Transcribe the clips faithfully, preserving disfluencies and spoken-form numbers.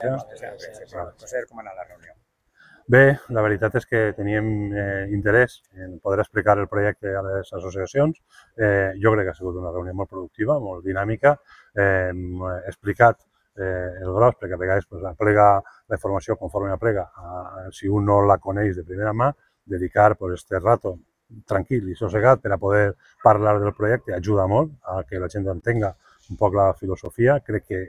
Conseller, com ha anat la reunió? Bé, la veritat és que teníem eh, interès en poder explicar el projecte a les associacions. Eh, jo crec que ha sigut una reunió molt productiva, molt dinàmica. Eh, hem explicat eh, el gros, perquè a vegades pues, aplega la informació conforme aplega. A, si un no la coneix de primera mà, dedicar pues, este rato tranquil i sossegat per a poder parlar del projecte ajuda molt a que la gent entenga un poc la filosofia. Crec que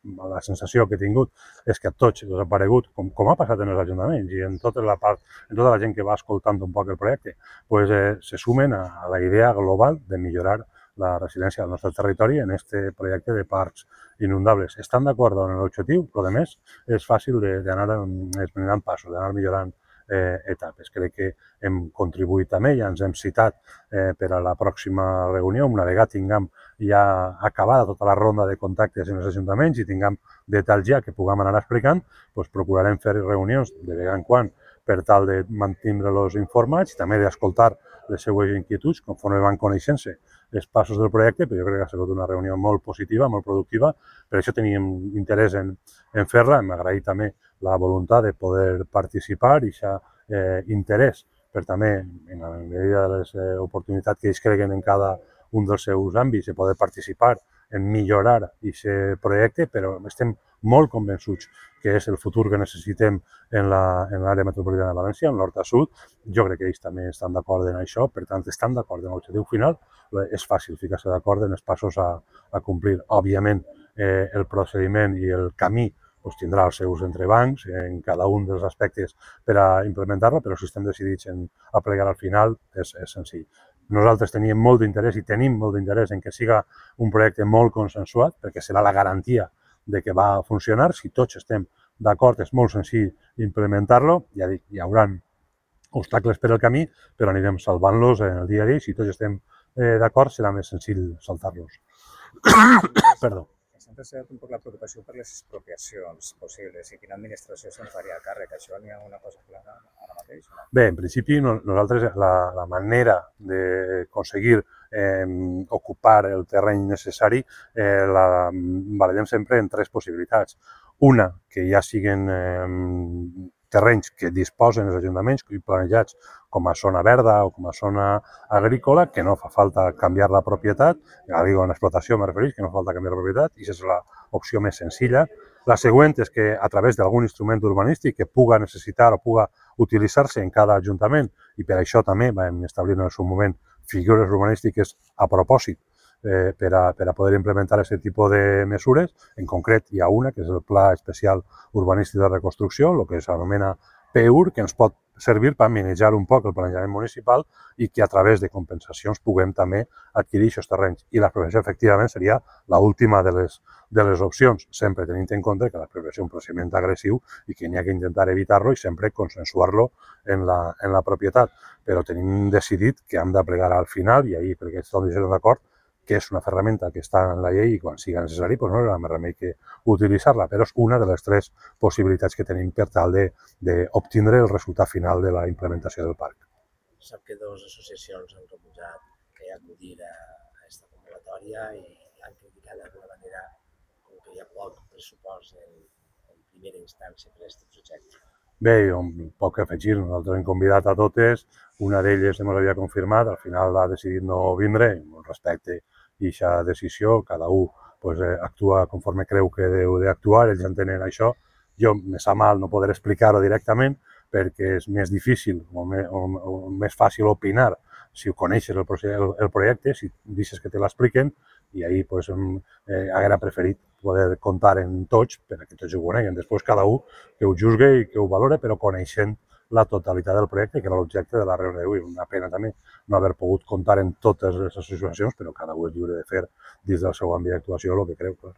la sensació que he tingut és que a tots els ha aparegut, com, com ha passat en els ajuntaments i en tota la part, en tota la gent que va escoltant un poc el projecte, pues, eh, se sumen a, a la idea global de millorar la resiliència del nostre territori en aquest projecte de parcs inundables. Estan d'acord amb l'objectiu, però a més és fàcil d'anar esmenant passos, d'anar millorant eh, etapes. Crec que hem contribuït també, ja ens hem citat eh, per a la pròxima reunió, una vegada tinguem ja acabada tota la ronda de contactes en els ajuntaments i tinguem detalls ja que puguem anar explicant, doncs procurarem fer reunions de vegada en quan per tal de mantenir-los informats i també d'escoltar les seues inquietuds conforme van coneixent-se els passos del projecte, però jo crec que ha sigut una reunió molt positiva, molt productiva, per això teníem interès en, en fer-la. Hem agraït també la voluntat de poder participar i aquest eh, interès per també, en la medida de les eh, oportunitats que ells creguen en cada un dels seus àmbits, de poder participar en millorar aquest projecte, però estem molt convençuts que és el futur que necessitem en l'àrea metropolitana de València, en nord a sud. Jo crec que ells també estan d'acord en això, per tant, estan d'acord en l'objectiu final. És fàcil ficar-se d'acord en els passos a, a complir. Òbviament, eh, el procediment i el camí pues, tindrà els seus entrebancs en cada un dels aspectes per a implementar-la, però si estem decidits en aplegar al final, és, és senzill. Nosaltres teníem molt d'interès i tenim molt d'interès en que siga un projecte molt consensuat, perquè serà la garantia de que va funcionar. Si tots estem d'acord, és molt senzill implementar-lo. Ja dic, hi haurà obstacles per al camí, però anirem salvant-los en el dia a dia. Si tots estem eh, d'acord, serà més senzill saltar-los. Perdó. S'ha traslladat un poc la preocupació per les expropiacions possibles i quina administració se'n faria càrrec. Això n'hi ha una cosa clara ara mateix? Bé, en principi, no, nosaltres la, la manera d'aconseguir eh, ocupar el terreny necessari eh, la barallem sempre en tres possibilitats. Una, que ja siguen eh, terrenys que disposen els ajuntaments i planejats com a zona verda o com a zona agrícola, que no fa falta canviar la propietat, ja digo, en explotació me refereix, que no fa falta canviar la propietat, i aquesta és l'opció més senzilla. La següent és que a través d'algun instrument urbanístic que puga necessitar o puga utilitzar-se en cada ajuntament, i per això també vam establir en el seu moment figures urbanístiques a propòsit eh, per, a, per a poder implementar aquest tipus de mesures. En concret hi ha una, que és el Pla Especial Urbanístic de Reconstrucció, el que s'anomena P U R, que ens pot servir per manejar un poc el planejament municipal i que a través de compensacions puguem també adquirir aquests terrenys. I l'expropiació, efectivament, seria l'última de les, de les opcions, sempre tenint en compte que l'expropiació és un procediment agressiu i que n'hi ha que intentar evitar-lo i sempre consensuar-lo en la, en la propietat. Però tenim decidit que hem de plegar al final, i ahir, perquè estem d'acord, que és una ferramenta que està en la llei i quan sigui necessari doncs no hi ha més remei que utilitzar-la, però és una de les tres possibilitats que tenim per tal d'obtindre el resultat final de la implementació del parc. Sap que dues associacions han rebutjat que hi acudir a aquesta convocatòria i han criticat d'alguna manera com que hi ha poc pressupost en, en primera instància per a aquest projecte. Bé, un poc a afegir, nosaltres hem convidat a totes, una d'elles ens havia confirmat, al final ha decidit no vindre, respecte a aquesta decisió, cada un pues, actua conforme creu que deu d'actuar, ells entenen això. Jo me sap mal no poder explicar-ho directament perquè és més difícil o més, o, o més fàcil opinar si ho coneixes el, el, el projecte, si deixes que te l'expliquen, i ahir pues, eh, haguera preferit poder comptar en tots perquè tots ho coneguen. Després cada un que ho juzgue i que ho valore, però coneixent la totalitat del projecte, que era l'objecte de la reunió d'avui. Una pena també no haver pogut comptar en totes les associacions, però cada un és lliure de fer dins del seu àmbit d'actuació el que creu. Clar.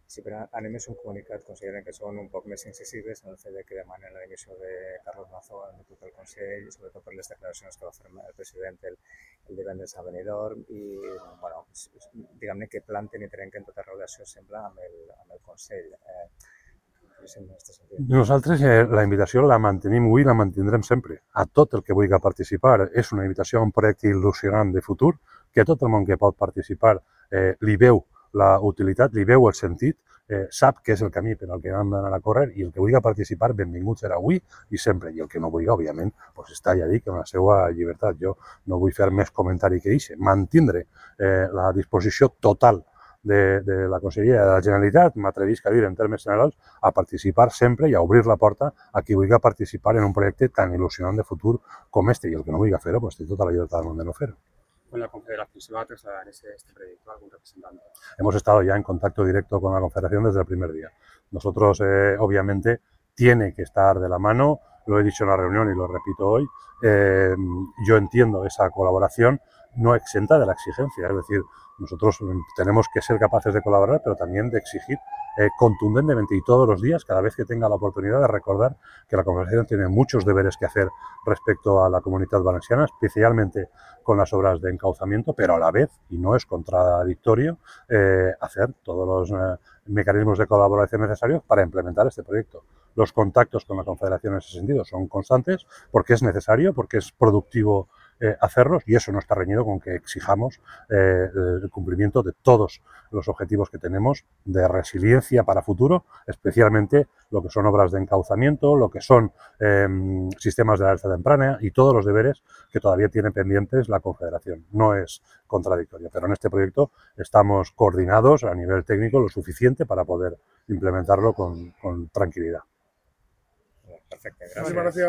Sí, però anem a un comunicat, consideren que són un poc més incisives en el fet que demanen la dimissió de Carlos Mazó en tot el Consell, i sobretot per les declaracions que va fer el president el, el divendres a Benidorm, i bueno, diguem-ne que planten i trenquen tota relació, sembla, amb el, amb el Consell. Eh, Nosaltres eh, la invitació la mantenim avui i la mantindrem sempre. A tot el que vulgui participar és una invitació a un projecte il·lusionant de futur, que tot el món que pot participar eh, li veu la utilitat, li veu el sentit, eh, sap que és el camí per al que hem d'anar a córrer i el que vulgui participar, benvingut serà avui i sempre. I el que no vulgui, òbviament, pues està, ja dic, en la seva llibertat. Jo no vull fer més comentari que això. Mantindre eh, la disposició total de, de la Conselleria de la Generalitat, m'atrevisc a dir en termes generals, a participar sempre i a obrir la porta a qui vulgui participar en un projecte tan il·lusionant de futur com este. I el que no vulgui fer-ho, pues té tota la llibertat del món de no fer-ho. Con la Confederación se va a trasladar este, este proyecto a algún representante. Hemos estado ya en contacto directo con la Confederación desde el primer día. Nosotros, eh, obviamente, tiene que estar de la mano, lo he dicho en la reunión y lo repito hoy, eh, yo entiendo esa colaboración no exenta de la exigencia, es decir, nosotros tenemos que ser capaces de colaborar, pero también de exigir eh, contundentemente y todos los días, cada vez que tenga la oportunidad, de recordar que la Confederación tiene muchos deberes que hacer respecto a la Comunitat Valenciana, especialmente con las obras de encauzamiento, pero a la vez, y no es contradictorio, eh, hacer todos los eh, mecanismos de colaboración necesarios para implementar este proyecto. Los contactos con la Confederación en ese sentido son constantes porque es necesario, porque es productivo eh, hacerlos, y eso no está reñido con que exijamos eh, el cumplimiento de todos los objetivos que tenemos de resiliencia para futuro, especialmente lo que son obras de encauzamiento, lo que son eh, sistemas de alerta temprana y todos los deberes que todavía tiene pendientes la Confederación. No es contradictorio, pero en este proyecto estamos coordinados a nivel técnico lo suficiente para poder implementarlo con, con tranquilidad. Perfecte, gràcies. Gràcies.